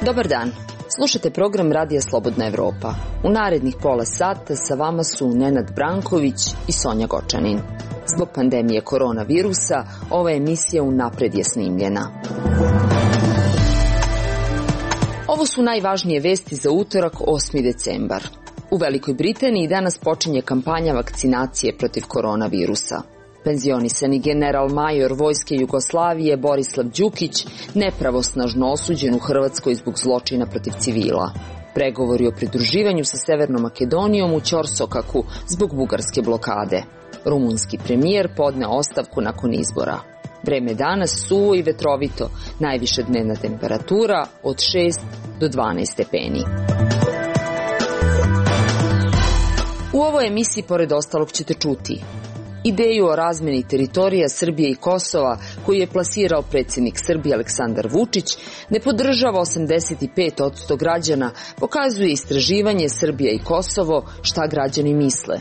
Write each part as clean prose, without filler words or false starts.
Dobar dan. Slušate program Radija Slobodna Evropa. U narednih pola sata sa vama su Nenad Branković i Sonja Gočanin. Zbog pandemije koronavirusa, ova emisija unapred je snimljena. Ovo su najvažnije vesti za utorak 8. decembar. U Velikoj Britaniji danas počinje kampanja vakcinacije protiv koronavirusa. Penzionisani general major Vojske Jugoslavije Borislav Đukić nepravosnažno osuđen u Hrvatskoj zbog zločina protiv civila. Pregovori o pridruživanju sa Severnom Makedonijom u ćorsokaku zbog bugarske blokade. Rumunski premijer podneo ostavku nakon izbora. Vreme danas suvo i vetrovito, najviša dnevna temperatura od 6 do 12 stepeni. U ovoj emisiji pored ostalog ćete čuti ideju o razmeni teritorija Srbije i Kosova koju je plasirao predsjednik Srbije Aleksandar Vučić ne podržava 85% građana, pokazuje istraživanje Srbija i Kosovo šta građani misle.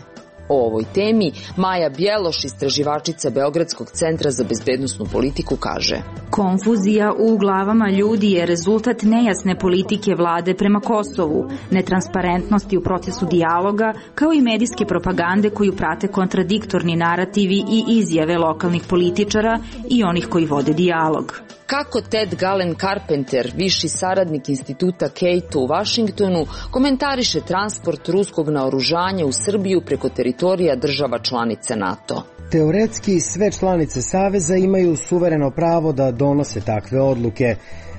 O ovoj temi Maja Bjeloš, istraživačica Beogradskog centra za bezbednosnu politiku, kaže: Konfuzija u glavama ljudi je rezultat nejasne politike vlade prema Kosovu, netransparentnosti u procesu dijaloga, kao i medijske propagande koju prate kontradiktorni narativi i izjave lokalnih političara i onih koji vode dijalog. Kako Ted Galen Carpenter, viši saradnik instituta Cato u Vašingtonu, komentariše transport ruskog naoružanja u Srbiju preko teritorija država članica NATO. Teoretski sve članice Saveza imaju suvereno pravo da donose takve odluke,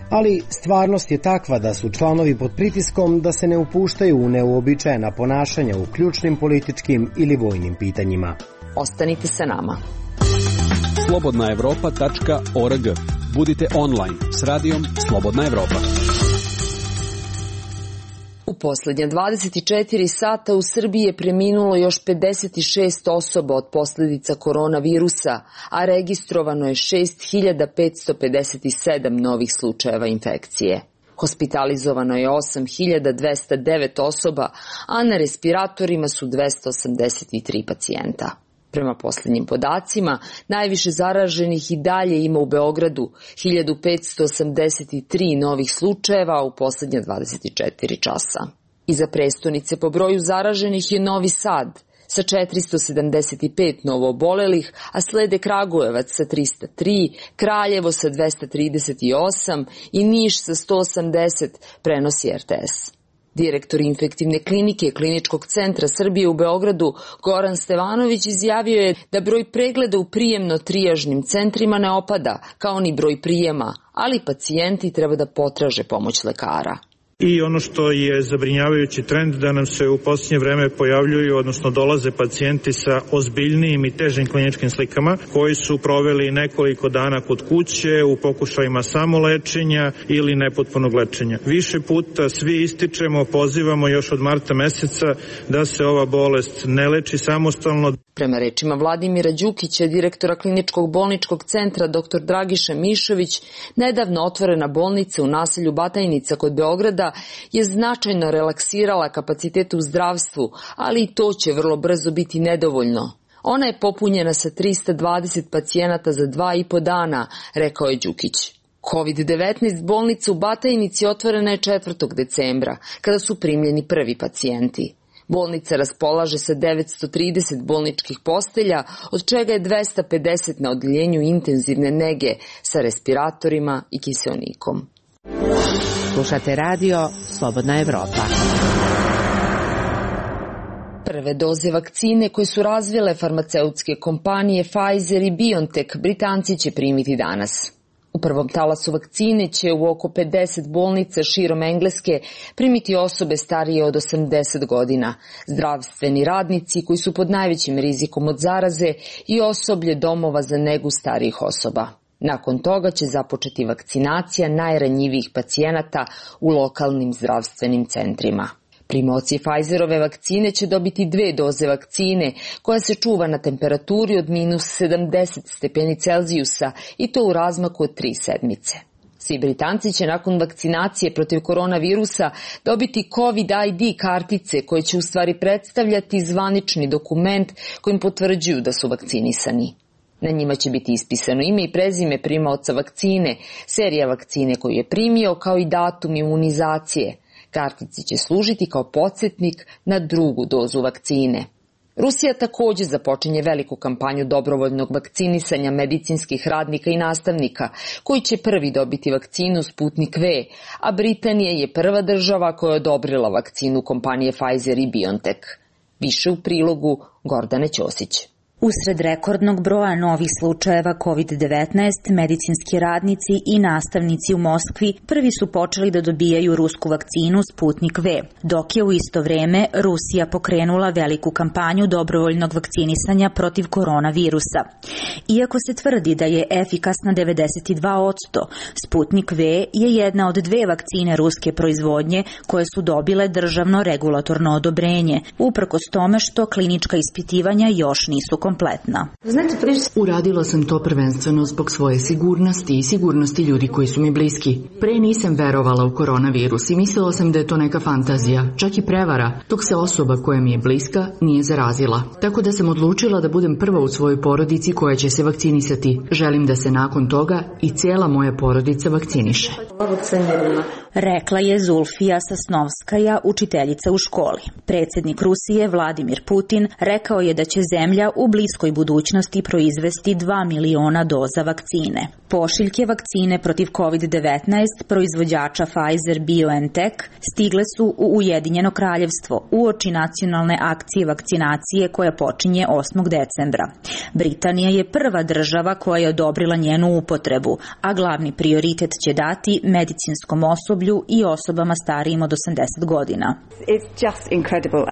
ali stvarnost je takva da su članovi pod pritiskom da se ne upuštaju u neuobičajena ponašanja u ključnim političkim ili vojnim pitanjima. Ostanite sa nama. slobodnaevropa.org. Budite online s radijom Slobodna Evropa. U posljednja 24 sata u Srbiji je preminulo još 56 osoba od posljedica koronavirusa, a registrovano je 6557 novih slučajeva infekcije. Hospitalizovano je 8209 osoba, a na respiratorima su 283 pacijenta. Prema posljednjim podacima, najviše zaraženih i dalje ima u Beogradu, 1583 novih slučajeva u posljednja 24 časa. Iza prestonice po broju zaraženih je Novi Sad sa 475 novoobolelih, a slede Kragujevac sa 303, Kraljevo sa 238 i Niš sa 180, prenosi RTS. Direktor infektivne klinike Kliničkog centra Srbije u Beogradu Goran Stevanović izjavio je da broj pregleda u prijemno-trijažnim centrima ne opada, kao ni broj prijema, ali pacijenti treba da potraže pomoć lekara. I ono što je zabrinjavajući trend da nam se u posljednje vreme pojavljuju, odnosno dolaze pacijenti sa ozbiljnijim i težim kliničkim slikama koji su proveli nekoliko dana kod kuće u pokušajima samolečenja ili nepotpunog lečenja. Više puta svi ističemo, pozivamo još od marta meseca da se ova bolest ne leči samostalno. Prema rečima Vladimira Đukića, direktora Kliničkog bolničkog centra dr. Dragiša Mišović, nedavno otvorena bolnica u naselju Batajnica kod Beograda je značajno relaksirala kapacitete u zdravstvu, ali i to će vrlo brzo biti nedovoljno. Ona je popunjena sa 320 pacijenata za 2,5 dana, rekao je Đukić. COVID-19 bolnica u Batajnici otvorena je 4. decembra, kada su primljeni prvi pacijenti. Bolnica raspolaže sa 930 bolničkih postelja, od čega je 250 na odeljenju intenzivne nege sa respiratorima i kiseonikom. Slušate radio Slobodna Evropa. Prve doze vakcine koje su razvile farmaceutske kompanije Pfizer i BioNTech Britanci će primiti danas. U prvom talasu vakcine će u oko 50 bolnica širom Engleske primiti osobe starije od 80 godina, zdravstveni radnici koji su pod najvećim rizikom od zaraze i osoblje domova za negu starijih osoba. Nakon toga će započeti vakcinacija najranjivijih pacijenata u lokalnim zdravstvenim centrima. Primaoci Pfizerove vakcine će dobiti 2 doze vakcine koja se čuva na temperaturi od -70 stepeni Celzijusa i to u razmaku od 3 sedmice. Svi Britanci će nakon vakcinacije protiv koronavirusa dobiti COVID ID kartice koje će u stvari predstavljati zvanični dokument kojim potvrđuju da su vakcinisani. Na njima će biti ispisano ime i prezime primaoca vakcine, serija vakcine koju je primio, kao i datum imunizacije. Kartice će služiti kao podsjetnik na drugu dozu vakcine. Rusija također započinje veliku kampanju dobrovoljnog vakcinisanja medicinskih radnika i nastavnika, koji će prvi dobiti vakcinu Sputnik V, a Britanija je prva država koja je odobrila vakcinu kompanije Pfizer i BioNTech. Više u prilogu Gordane Ćosić. Usred rekordnog broja novih slučajeva COVID-19, medicinski radnici i nastavnici u Moskvi prvi su počeli da dobijaju rusku vakcinu Sputnik V, dok je u isto vreme Rusija pokrenula veliku kampanju dobrovoljnog vakcinisanja protiv koronavirusa. Iako se tvrdi da je efikasna 92%, Sputnik V je jedna od dve vakcine ruske proizvodnje koje su dobile državno regulatorno odobrenje, uprkos tome što klinička ispitivanja još nisu kompletna. Uradila sam to prvenstveno zbog svoje sigurnosti i sigurnosti ljudi koji su mi bliski. Pre nisam verovala u koronavirus i mislila sam da je to neka fantazija, čak i prevara, dok se osoba koja mi je bliska nije zarazila. Tako da sam odlučila da budem prva u svojoj porodici koja će se vakcinisati. Želim da se nakon toga i cijela moja porodica vakciniše. Rekla je Zulfija Sasnovskaja, učiteljica u školi. Predsjednik Rusije Vladimir Putin rekao je da će zemlja u bliskoj budućnosti proizvesti 2 miliona doza vakcine. Pošiljke vakcine protiv COVID-19 proizvođača Pfizer-BioNTech stigle su u Ujedinjeno kraljevstvo uoči nacionalne akcije vakcinacije koja počinje 8. decembra. Britanija je prva država koja je odobrila njenu upotrebu, a glavni prioritet će dati medicinskom osoblju i osobama starijim od 80 godina.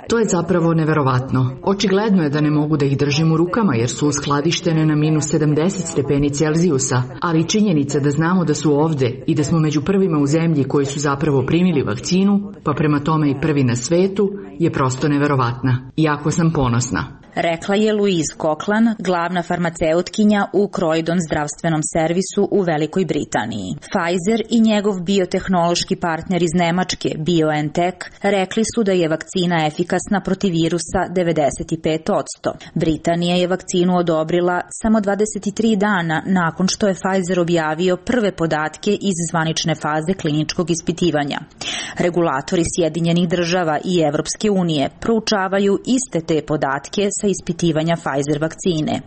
To je zapravo neverovatno. Očigledno je da ne mogu da ih držim u rukama jer su uskladištene na minus 70 stepeni Celzijusa, ali činjenica da znamo da su ovde i da smo među prvima u zemlji koji su zapravo primili vakcinu, pa prema tome i prvi na svetu, je prosto neverovatna. Jako sam ponosna. Rekla je Louise Cochlan, glavna farmaceutkinja u Croydon zdravstvenom servisu u Velikoj Britaniji. Pfizer i njegov biotehnološki partner iz Nemačke, BioNTech, rekli su da je vakcina efikasna protiv virusa 95%. Britanija je vakcinu odobrila samo 23 dana nakon što je Pfizer objavio prve podatke iz zvanične faze kliničkog ispitivanja. Regulatori Sjedinjenih država i Evropske unije proučavaju iste te podatke sa ispitivanja Pfizer vakcine.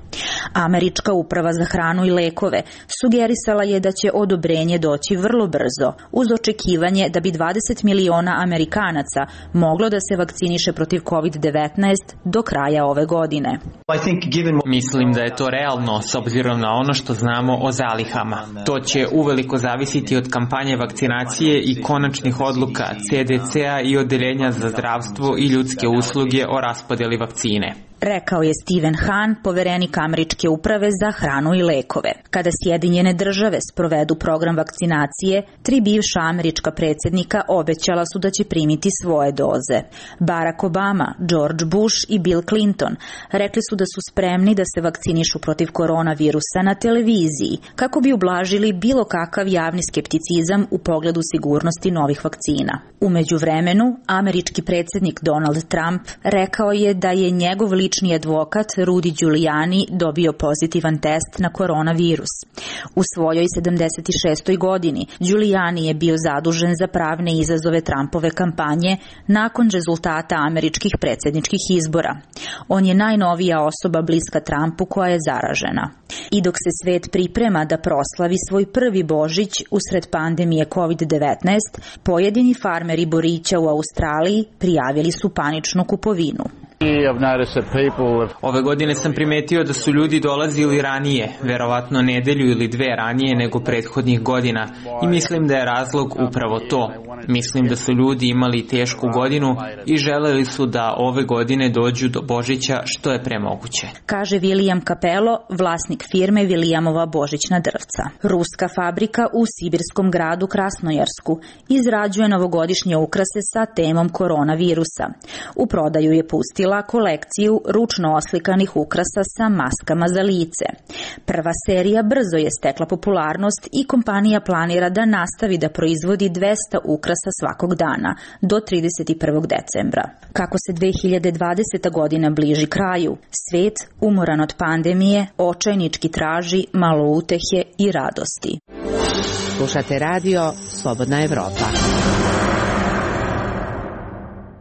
Američka uprava za hranu i lekove sugerisala je da će odobrenje doći vrlo brzo, uz očekivanje da bi 20 miliona Amerikanaca moglo da se vakciniše protiv COVID-19 do kraja ove godine. Mislim da je to realno s obzirom na ono što znamo o zalihama. To će uveliko zavisiti od kampanje vakcinacije i konačnih odluka CDC-a i Odeljenja za zdravstvo i ljudske usluge o raspodjeli vakcine. Rekao je Stephen Hahn, poverenik Američke uprave za hranu i lekove. Kada Sjedinjene države sprovedu program vakcinacije, 3 bivša američka predsjednika obećala su da će primiti svoje doze. Barack Obama, George Bush i Bill Clinton rekli su da su spremni da se vakcinišu protiv koronavirusa na televiziji, kako bi ublažili bilo kakav javni skepticizam u pogledu sigurnosti novih vakcina. U međuvremenu, američki predsjednik Donald Trump rekao je da je njegov lični advokat Rudy Giuliani dobio pozitivan test na koronavirus. U svojoj 76. godini Giuliani je bio zadužen za pravne izazove Trumpove kampanje nakon rezultata američkih predsjedničkih izbora. On je najnovija osoba bliska Trumpu koja je zaražena. I dok se svet priprema da proslavi svoj prvi Božić usred pandemije COVID-19, pojedini farmeri borića u Australiji prijavili su paničnu kupovinu. Ove godine sam primetio da su ljudi dolazili ranije, verovatno nedelju ili 2 ranije nego prethodnih godina, i mislim da je razlog upravo to. Mislim da su ljudi imali tešku godinu i želeli su da ove godine dođu do Božića što je pre moguće. Kaže William Capello, vlasnik firme Williamova božićna drvca. Ruska fabrika u sibirskom gradu Krasnojarsku izrađuje novogodišnje ukrase sa temom koronavirusa. U prodaju je pustila završila kolekciju ručno oslikanih ukrasa sa maskama za lice. Prva serija brzo je stekla popularnost i kompanija planira da nastavi da proizvodi 200 ukrasa svakog dana do 31. decembra. Kako se 2020. godina bliži kraju, svet, umoran od pandemije, očajnički traži malo utehe i radosti. Slušate radio Slobodna Evropa.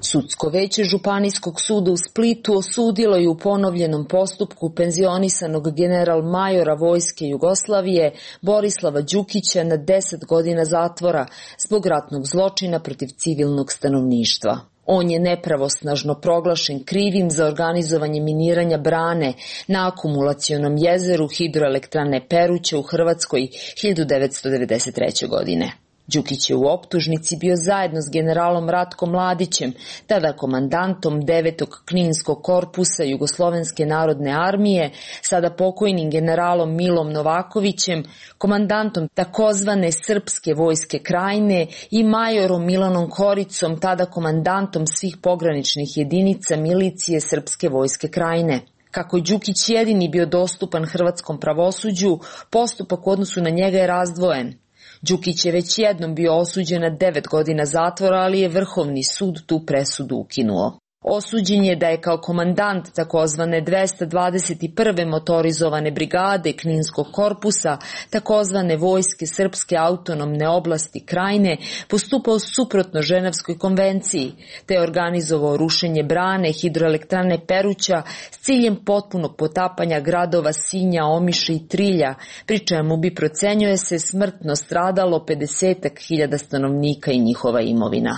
Sudsko veće Županijskog suda u Splitu osudilo je u ponovljenom postupku penzionisanog general-majora Vojske Jugoslavije Borislava Đukića na 10 godina zatvora zbog ratnog zločina protiv civilnog stanovništva. On je nepravosnažno proglašen krivim za organizovanje miniranja brane na akumulacionom jezeru hidroelektrane Peruća u Hrvatskoj 1993. godine. Đukić je u optužnici bio zajedno s generalom Ratkom Mladićem, tada komandantom 9. Kninskog korpusa Jugoslovenske narodne armije, sada pokojnim generalom Milom Novakovićem, komandantom takozvane Srpske vojske Krajine i majorom Milanom Koricom, tada komandantom svih pograničnih jedinica milicije Srpske vojske Krajine. Kako je Đukić jedini bio dostupan hrvatskom pravosuđu, postupak u odnosu na njega je razdvojen. Đukić je već jednom bio osuđen na 9 godina zatvora, ali je Vrhovni sud tu presudu ukinuo. Osuđen je da je kao komandant takozvane 221. motorizovane brigade Kninskog korpusa, takozvane vojske Srpske autonomne oblasti Krajine, postupao suprotno Ženevskoj konvenciji, te je organizovao rušenje brane hidroelektrane Peruća s ciljem potpunog potapanja gradova Sinja, Omiša i Trilja, pri čemu bi, procenjuje se, smrtno stradalo 50.000 stanovnika i njihova imovina.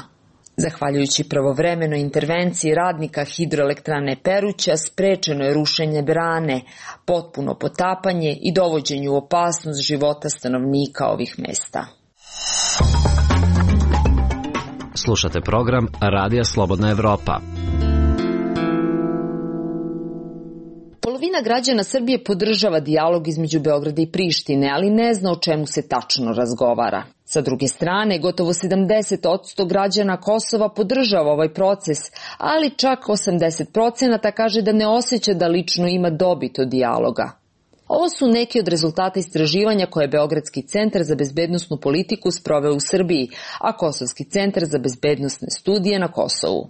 Zahvaljujući pravovremenoj intervenciji radnika hidroelektrane Peruća sprečeno je rušenje brane, potpuno potapanje i dovođenje u opasnost života stanovnika ovih mesta. Slušate program Radija Slobodna Evropa. Polovina građana Srbije podržava dijalog između Beograda i Prištine, ali ne zna o čemu se tačno razgovara. Sa druge strane, gotovo 70% građana Kosova podržava ovaj proces, ali čak 80% kaže da ne osjeća da lično ima dobit od dijaloga. Ovo su neki od rezultata istraživanja koje je Beogradski centar za bezbednosnu politiku sproveo u Srbiji, a Kosovski centar za bezbednosne studije na Kosovu.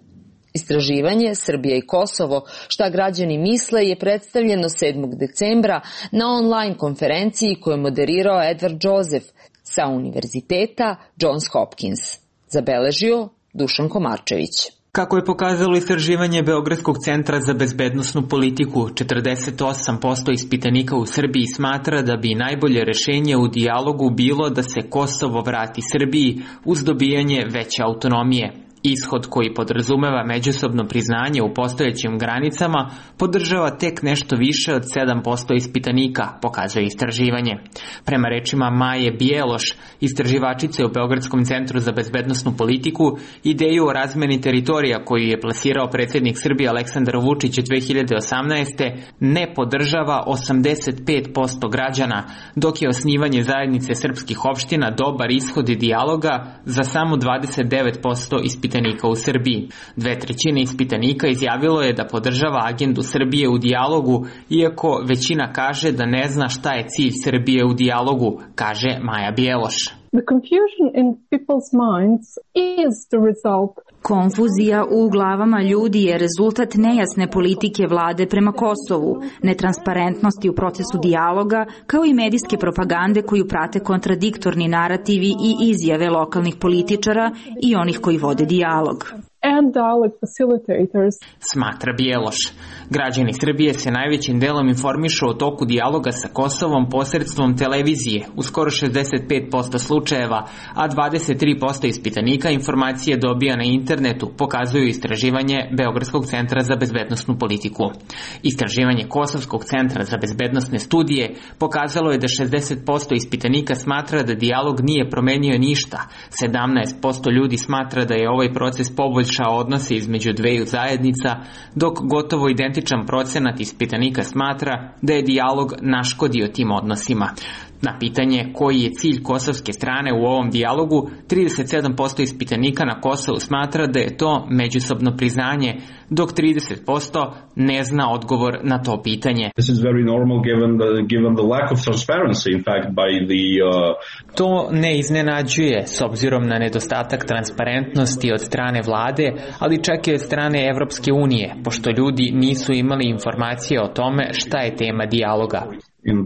Istraživanje Srbija i Kosovo, šta građani misle, je predstavljeno 7. decembra na online konferenciji koju je moderirao Edward Joseph sa Univerziteta Johns Hopkins. Zabeležio Dušan Komarčević. Kako je pokazalo istraživanje Beogradskog centra za bezbednosnu politiku, 48% ispitanika u Srbiji smatra da bi najbolje rešenje u dijalogu bilo da se Kosovo vrati Srbiji uz dobijanje veće autonomije. Ishod koji podrazumeva međusobno priznanje u postojećim granicama podržava tek nešto više od 7% ispitanika, pokazuje istraživanje. Prema rečima Maje Bijeloš, istraživačice u Beogradskom centru za bezbednosnu politiku, ideju o razmeni teritorija koju je plasirao predsjednik Srbije Aleksandar Vučić 2018. ne podržava 85% građana, dok je osnivanje zajednice srpskih opština dobar ishod dijaloga za samo 29% ispitanika u Srbiji. 2/3 ispitanika izjavilo je da podržava agendu Srbije u dijalogu, iako većina kaže da ne zna šta je cilj Srbije u dijalogu, kaže Maja Bijeloš. Konfuzija u glavama ljudi je rezultat nejasne politike vlade prema Kosovu, netransparentnosti u procesu dijaloga, kao i medijske propagande koju prate kontradiktorni narativi i izjave lokalnih političara i onih koji vode dijalog. Smatra Bijeloš. Građani Srbije se najvećim delom informišu o toku dijaloga sa Kosovom posredstvom televizije, u skoro 65% slučajeva, a 23% ispitanika informacije dobija na internetu, pokazuju istraživanje Beogradskog centra za bezbednosnu politiku. Istraživanje Kosovskog centra za bezbednosne studije pokazalo je da 60% ispitanika smatra da dijalog nije promenio ništa, 17% ljudi smatra da je ovaj proces poboljšao odnose između dveju zajednica, dok gotovo identičan procenat ispitanika smatra da je dijalog naškodio tim odnosima. Na pitanje koji je cilj kosovske strane u ovom dijalogu, 37% ispitanika na Kosovu smatra da je to međusobno priznanje, dok 30% ne zna odgovor na to pitanje. To ne iznenađuje s obzirom na nedostatak transparentnosti od strane vlade, ali čak i od strane Evropske unije, pošto ljudi nisu imali informacije o tome šta je tema dijaloga. In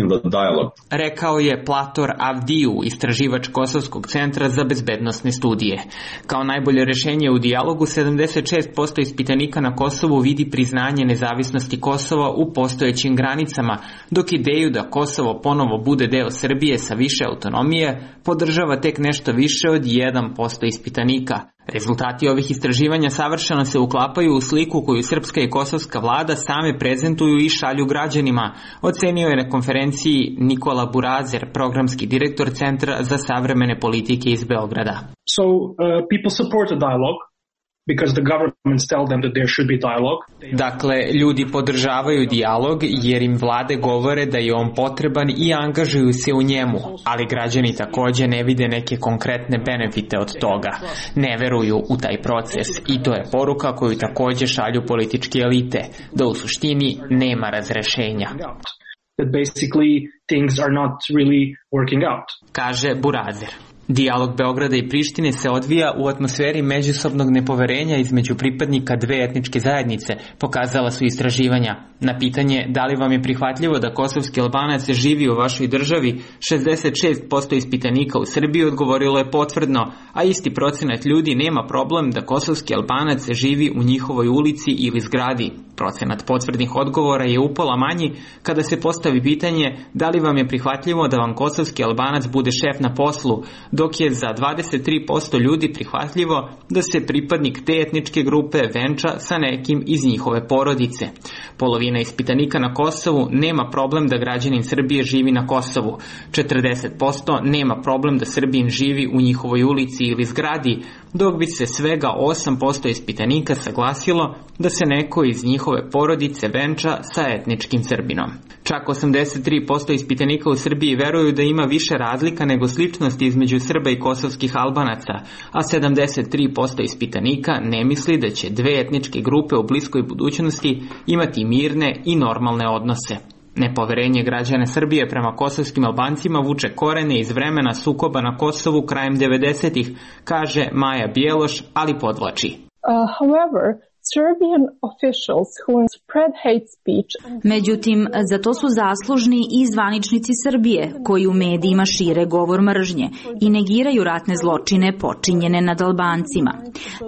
the dialogue. Rekao je Plator Avdiju, istraživač Kosovskog centra za bezbednosne studije. Kao najbolje rešenje u dijalogu, 76% ispitanika na Kosovu vidi priznanje nezavisnosti Kosova u postojećim granicama, dok ideju da Kosovo ponovo bude deo Srbije sa više autonomije podržava tek nešto više od 1% ispitanika. Rezultati ovih istraživanja savršeno se uklapaju u sliku koju srpska i kosovska vlada same prezentuju i šalju građanima, ocenio je na konferenciji Nikola Burazer, programski direktor Centra za savremene politike iz Beograda. So people support a dialogue because the governments tell them that there should be dialogue. Dakle, ljudi podržavaju dijalog jer im vlade govore da je on potreban i angažuju se u njemu, ali građani takođe ne vide neke konkretne benefite od toga. Ne veruju u taj proces i to je poruka koju takođe šalju političke elite, da u suštini nema razrešenja. That basically things are not really working out. Kaže Burazer. Dijalog Beograda i Prištine se odvija u atmosferi međusobnog nepoverenja između pripadnika dve etničke zajednice, pokazala su istraživanja. Na pitanje da li vam je prihvatljivo da kosovski Albanac živi u vašoj državi, 66% ispitanika u Srbiji odgovorilo je potvrdno, a isti procenat ljudi nema problem da kosovski Albanac živi u njihovoj ulici ili zgradi. Procenat potvrdnih odgovora je upola manji kada se postavi pitanje da li vam je prihvatljivo da vam kosovski Albanac bude šef na poslu, dok je za 23% ljudi prihvatljivo da se pripadnik te etničke grupe venča sa nekim iz njihove porodice. Polovina ispitanika na Kosovu nema problem da građanin Srbije živi na Kosovu. 40% nema problem da Srbin živi u njihovoj ulici ili zgradi, dok bi se svega 8% ispitanika saglasilo da se neko iz njihove porodice venča sa etničkim Srbinom. Čak 83% ispitanika u Srbiji veruju da ima više razlika nego sličnosti između Srba i kosovskih Albanaca, a 73% ispitanika ne misli da će dve etničke grupe u bliskoj budućnosti imati mirne i normalne odnose. Nepoverenje građana Srbije prema kosovskim Albancima vuče korene iz vremena sukoba na Kosovu krajem 90-ih, kaže Maja Bjeloš, ali podvlači. However, Serbian officials who spread hate speech. Međutim, za to su zaslužni i zvaničnici Srbije, koji u medijima šire govor mržnje i negiraju ratne zločine počinjene nad Albancima.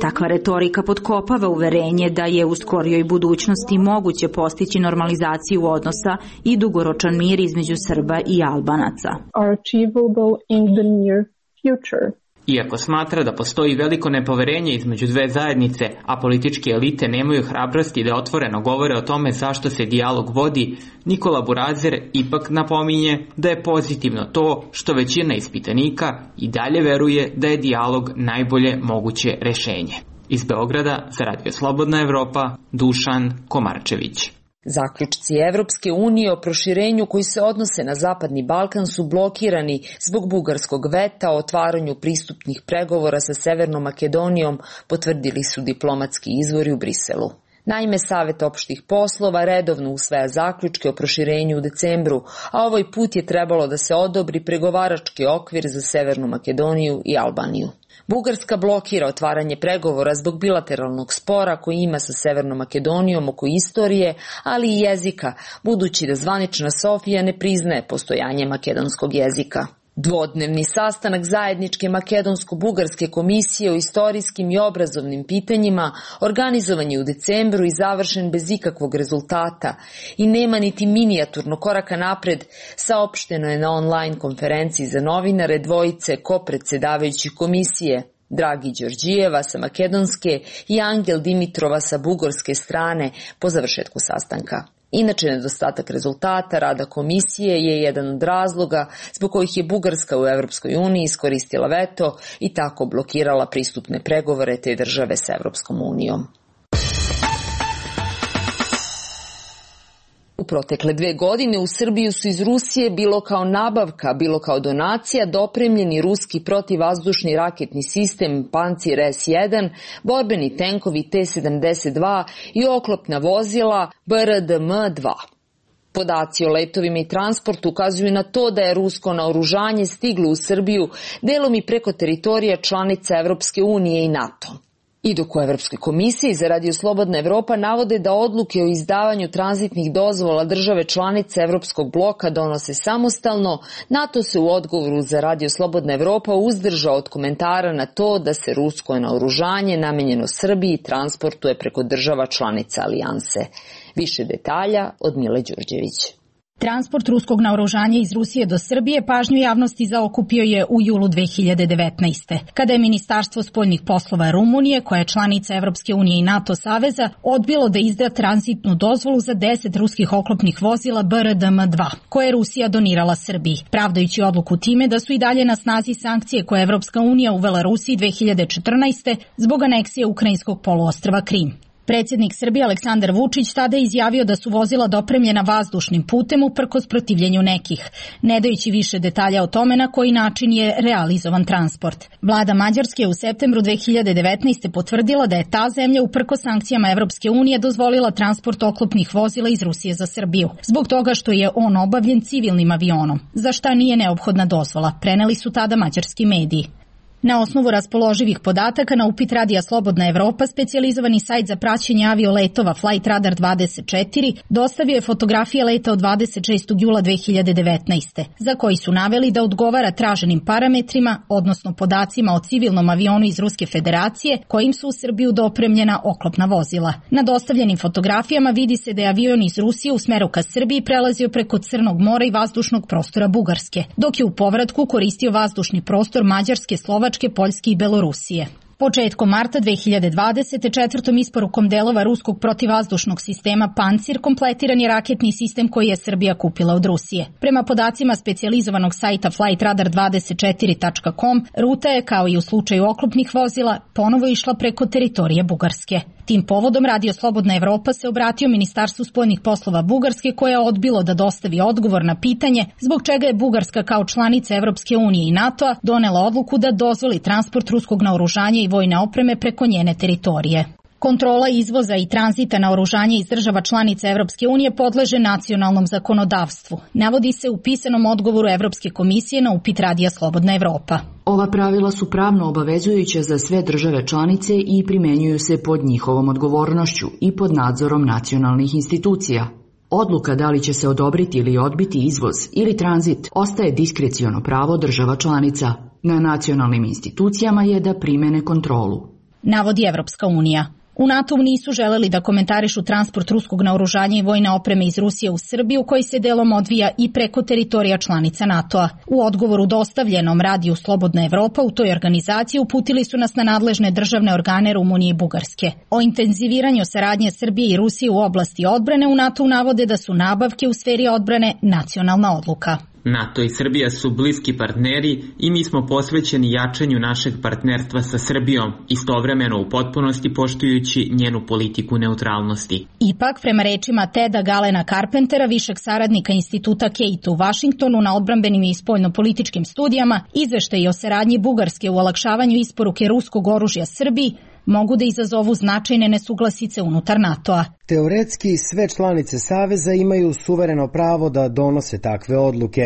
Takva retorika potkopava uverenje da je u skorijoj budućnosti moguće postići normalizaciju odnosa i dugoročan mir između Srba i Albanaca. Are achievable in the near future. Iako smatra da postoji veliko nepoverenje između dve zajednice, a političke elite nemaju hrabrosti da otvoreno govore o tome zašto se dijalog vodi, Nikola Burazer ipak napominje da je pozitivno to što većina ispitanika i dalje veruje da je dijalog najbolje moguće rešenje. Iz Beograda za Radio Slobodna Evropa, Dušan Komarčević. Zaključci Evropske unije o proširenju koji se odnose na Zapadni Balkan su blokirani zbog bugarskog veta o otvaranju pristupnih pregovora sa Severnom Makedonijom, potvrdili su diplomatski izvori u Briselu. Naime, Savet opštih poslova redovno usvaja zaključke o proširenju u decembru, a ovaj put je trebalo da se odobri pregovarački okvir za Severnu Makedoniju i Albaniju. Bugarska blokira otvaranje pregovora zbog bilateralnog spora koji ima sa Severnom Makedonijom oko istorije, ali i jezika, budući da zvanična Sofija ne priznaje postojanje makedonskog jezika. Dvodnevni sastanak zajedničke makedonsko-bugarske komisije o istorijskim i obrazovnim pitanjima organizovan je u decembru i završen bez ikakvog rezultata i nema niti minijaturno koraka napred, saopšteno je na online konferenciji za novinare dvojice kopredsedavajućih komisije, Dragi Đorđijeva sa makedonske i Angel Dimitrova sa bugarske strane po završetku sastanka. Inače, nedostatak rezultata rada komisije je jedan od razloga zbog kojih je Bugarska u Evropskoj uniji iskoristila veto i tako blokirala pristupne pregovore te države sa Evropskom unijom. U protekle 2 godine u Srbiju su iz Rusije bilo kao nabavka, bilo kao donacija dopremljeni ruski protivvazdušni raketni sistem Pancir S-1, borbeni tenkovi T-72 i oklopna vozila BRDM-2. Podaci o letovima i transportu ukazuju na to da je rusko naoružanje stiglo u Srbiju delom i preko teritorija članica Evropske unije i NATO. I dok u Evropskoj komisiji za Radio Slobodna Evropa navode da odluke o izdavanju tranzitnih dozvola države članice Evropskog bloka donose samostalno, NATO se u odgovoru za Radio Slobodna Evropa uzdržao od komentara na to da se rusko naoružanje namenjeno Srbiji transportuje preko država članica alijanse. Više detalja od Mile Đurđević. Transport ruskog naoružanja iz Rusije do Srbije pažnju javnosti zaokupio je u julu 2019. kada je Ministarstvo spoljnih poslova Rumunije, koja je članica Evropske unije i NATO saveza, odbilo da izda tranzitnu dozvolu za 10 ruskih oklopnih vozila BRDM-2, koje je Rusija donirala Srbiji, pravdajući odluku time da su i dalje na snazi sankcije koje je Evropska unija uvela Rusiji 2014. zbog aneksije ukrajinskog poluostrva Krim. Predsjednik Srbije Aleksandar Vučić tada je izjavio da su vozila dopremljena vazdušnim putem uprkos protivljenju nekih, ne dajući više detalja o tome na koji način je realizovan transport. Vlada Mađarske je u septembru 2019. potvrdila da je ta zemlja uprkos sankcijama Evropske unije dozvolila transport oklopnih vozila iz Rusije za Srbiju, zbog toga što je on obavljen civilnim avionom, za šta nije neophodna dozvola, preneli su tada mađarski mediji. Na osnovu raspoloživih podataka na upit Radija Slobodna Evropa, specijalizovani sajt za praćenje avioletova Flight Radar 24 dostavio je fotografije leta od 26. jula 2019. za koji su naveli da odgovara traženim parametrima, odnosno podacima o civilnom avionu iz Ruske federacije kojim su u Srbiju dopremljena oklopna vozila. Na dostavljenim fotografijama vidi se da je avion iz Rusije u smeru ka Srbiji prelazio preko Crnog mora i vazdušnog prostora Bugarske, dok je u povratku koristio vazdušni prostor Mađarske, Slovačke, Poljske i Belorusije. Početkom marta 2020. četvrtom isporukom delova ruskog protivvazdušnog sistema Pancir kompletiran je raketni sistem koji je Srbija kupila od Rusije. Prema podacima specijalizovanog sajta flightradar24.com, ruta je, kao i u slučaju oklopnih vozila, ponovo išla preko teritorije Bugarske. Tim povodom Radio Slobodna Evropa se obratio Ministarstvu spoljnih poslova Bugarske, koje je odbilo da dostavi odgovor na pitanje zbog čega je Bugarska kao članica Evropske unije i NATO-a donela odluku da dozvoli transport ruskog naoružanja i vojne opreme preko njene teritorije. Kontrola izvoza i tranzita naoružanja iz država članica Evropske unije podleže nacionalnom zakonodavstvu, navodi se u pisanom odgovoru Evropske komisije na upit Radija Slobodna Evropa. Ova pravila su pravno obavezujuća za sve države članice i primenjuju se pod njihovom odgovornošću i pod nadzorom nacionalnih institucija. Odluka da li će se odobriti ili odbiti izvoz ili tranzit ostaje diskreciono pravo država članica. Na nacionalnim institucijama je da primene kontrolu, navodi Evropska unija. U NATO-u nisu želeli da komentarišu transport ruskog naoružanja i vojne opreme iz Rusije u Srbiju, koji se delom odvija i preko teritorija članica NATO-a. U odgovoru dostavljenom Radiju Slobodna Evropa u toj organizaciji uputili su nas na nadležne državne organe Rumunije i Bugarske. O intenziviranju saradnje Srbije i Rusije u oblasti odbrane u NATO-u navode da su nabavke u sferi odbrane nacionalna odluka. NATO i Srbija su bliski partneri i mi smo posvećeni jačanju našeg partnerstva sa Srbijom, istovremeno u potpunosti poštujući njenu politiku neutralnosti. Ipak, prema rečima Teda Galena Carpentera, višeg saradnika instituta Kate u Vašingtonu na odbrambenim i spoljnopolitičkim studijama, izveštaji o saradnji Bugarske u olakšavanju isporuke ruskog oružja Srbiji mogu da izazovu značajne nesuglasice unutar NATO-a. Teoretski sve članice Saveza imaju suvereno pravo da donose takve odluke,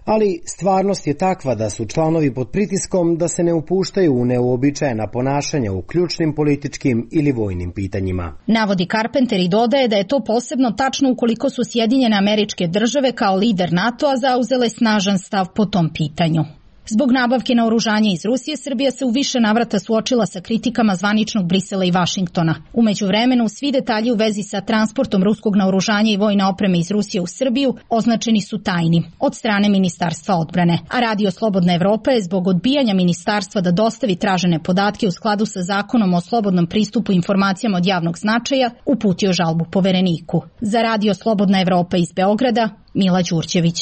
ali stvarnost je takva da su članovi pod pritiskom da se ne upuštaju u neuobičajena ponašanja u ključnim političkim ili vojnim pitanjima. Navodi Carpenter i dodaje da je to posebno tačno ukoliko su Sjedinjene Američke Države kao lider NATO-a zauzele snažan stav po tom pitanju. Zbog nabavke naoružanja iz Rusije, Srbija se u više navrata suočila sa kritikama zvaničnog Brisela i Vašingtona. U međuvremenu, svi detalji u vezi sa transportom ruskog naoružanja i vojne opreme iz Rusije u Srbiju označeni su tajnim od strane Ministarstva odbrane. A Radio Slobodna Evropa je zbog odbijanja ministarstva da dostavi tražene podatke u skladu sa Zakonom o slobodnom pristupu informacijama od javnog značaja uputio žalbu Povereniku. Za Radio Slobodna Evropa iz Beograda, Mila Đurđević.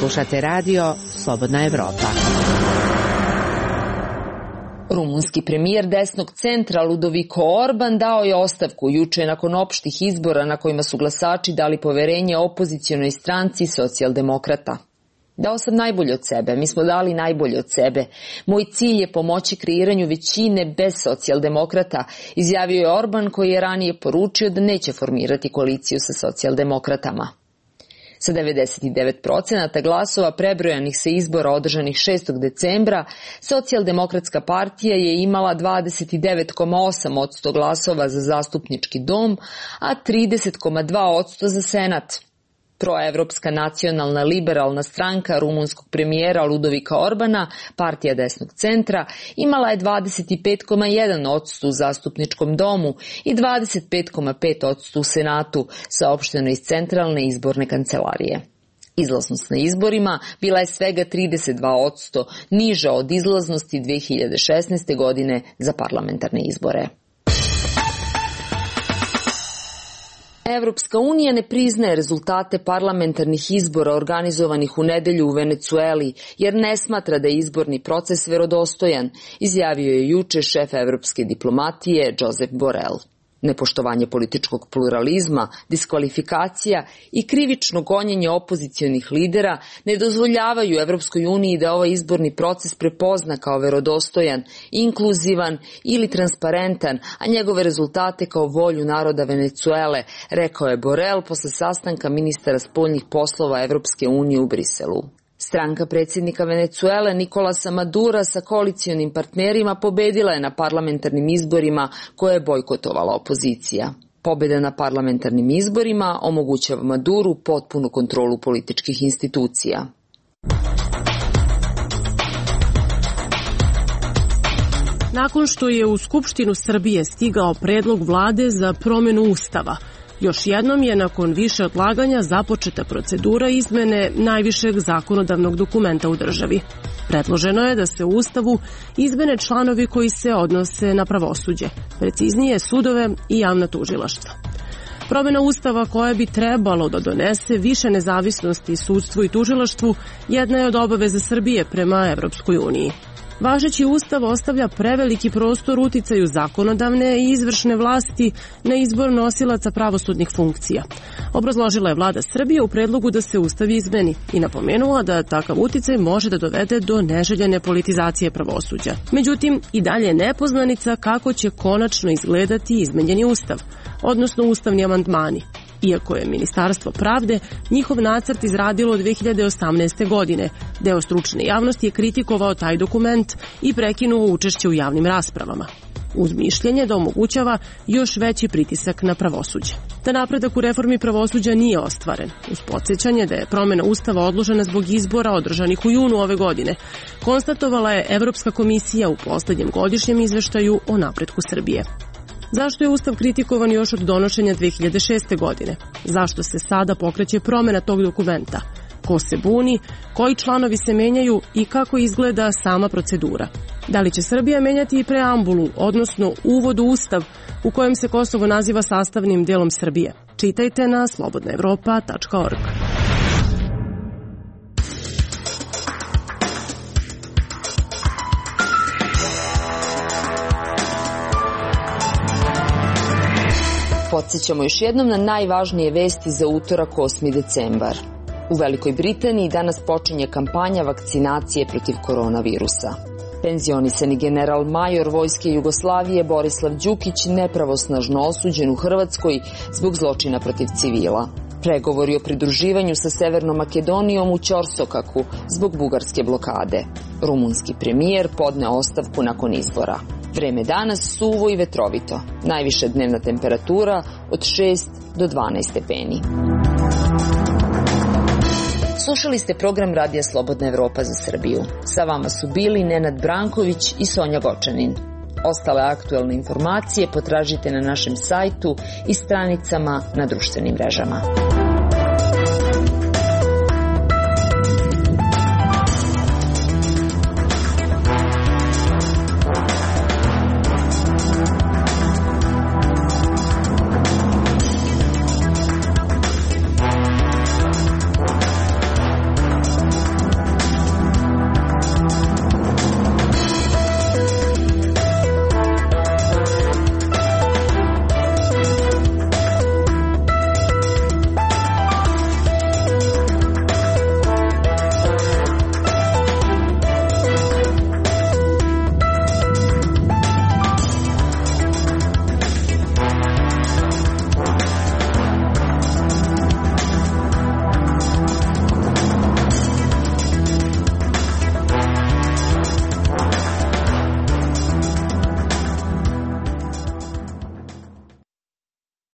Slušate radio Slobodna Evropa. Rumunski premijer desnog centra Ludovico Orban dao je ostavku juče nakon opštih izbora na kojima su glasači dali poverenje opozicionoj stranci Socijaldemokrata. Dao sam najbolje od sebe, mi smo dali najbolje od sebe. Moj cilj je pomoći kreiranju većine bez Socijaldemokrata, izjavio je Orban, koji je ranije poručio da neće formirati koaliciju sa Socijaldemokratama. Sa 99% glasova prebrojanih sa izbora održanih 6. decembra, Socijaldemokratska partija je imala 29,8% glasova za zastupnički dom, a 30,2% za senat. Proevropska nacionalna liberalna stranka rumunskog premijera Ludovika Orbana, partija desnog centra, imala je 25,1% u zastupničkom domu i 25,5% u senatu, saopšteno iz centralne izborne kancelarije. Izlaznost na izborima bila je svega 32%, niža od izlaznosti 2016. godine za parlamentarne izbore. Evropska unija ne priznaje rezultate parlamentarnih izbora organizovanih u nedelju u Venecueli, jer ne smatra da je izborni proces verodostojan, izjavio je juče šef evropske diplomatije Josep Borrell. Nepoštovanje političkog pluralizma, diskvalifikacija i krivično gonjenje opozicionih lidera ne dozvoljavaju Evropskoj uniji da ovaj izborni proces prepozna kao verodostojan, inkluzivan ili transparentan, a njegove rezultate kao volju naroda Venecuele, rekao je Borrell posle sastanka ministara spoljnih poslova Evropske unije u Briselu. Stranka predsjednika Venecuele Nicolasa Madura sa koalicionim partnerima pobedila je na parlamentarnim izborima koje je bojkotovala opozicija. Pobjeda na parlamentarnim izborima omogućava Maduru potpunu kontrolu političkih institucija. Nakon što je u Skupštinu Srbije stigao predlog vlade za promjenu Ustava, još jednom je nakon više odlaganja započeta procedura izmene najvišeg zakonodavnog dokumenta u državi. Predloženo je da se u Ustavu izmene članovi koji se odnose na pravosuđe, preciznije sudove i javna tužilaštva. Promjena Ustava koja bi trebalo da donese više nezavisnosti sudstvu i tužilaštvu jedna je od obaveza Srbije prema Evropskoj uniji. Važeći Ustav ostavlja preveliki prostor uticaju zakonodavne i izvršne vlasti na izbor nosilaca pravosudnih funkcija. Obrazložila je vlada Srbije u predlogu da se Ustav izmeni i napomenula da takav uticaj može da dovede do neželjene politizacije pravosuđa. Međutim, i dalje je nepoznanica kako će konačno izgledati izmenjeni Ustav, odnosno ustavni amandmani. Iako je Ministarstvo pravde njihov nacrt izradilo 2018. godine, deo stručne javnosti je kritikovao taj dokument i prekinuo učešće u javnim raspravama, uz mišljenje da omogućava još veći pritisak na pravosuđe. Da napredak u reformi pravosuđa nije ostvaren, uz podsjećanje da je promjena Ustava odložena zbog izbora održanih u junu ove godine, konstatovala je Evropska komisija u poslednjem godišnjem izveštaju o napretku Srbije. Zašto je Ustav kritikovan još od donošenja 2006. godine? Zašto se sada pokreće promjena tog dokumenta? Ko se buni, koji članovi se menjaju i kako izgleda sama procedura? Da li će Srbija menjati i preambulu, odnosno uvod u Ustav u kojem se Kosovo naziva sastavnim delom Srbije? Čitajte na slobodnaevropa.org. Podsjećamo još jednom na najvažnije vesti za utorak 8. decembar. U Velikoj Britaniji danas počinje kampanja vakcinacije protiv koronavirusa. Penzionisani general major Vojske Jugoslavije Borislav Đukić nepravosnažno osuđen u Hrvatskoj zbog zločina protiv civila. Pregovori o pridruživanju sa Severnom Makedonijom u Ćorsokaku zbog bugarske blokade. Rumunski premijer podneo ostavku nakon izbora. Vreme danas suvo i vetrovito. Najviša dnevna temperatura od 6 do 12 stepeni. Slušali ste program Radija Slobodna Evropa za Srbiju. Sa vama su bili Nenad Branković i Sonja Gočanin. Ostale aktuelne informacije potražite na našem sajtu i stranicama na društvenim mrežama.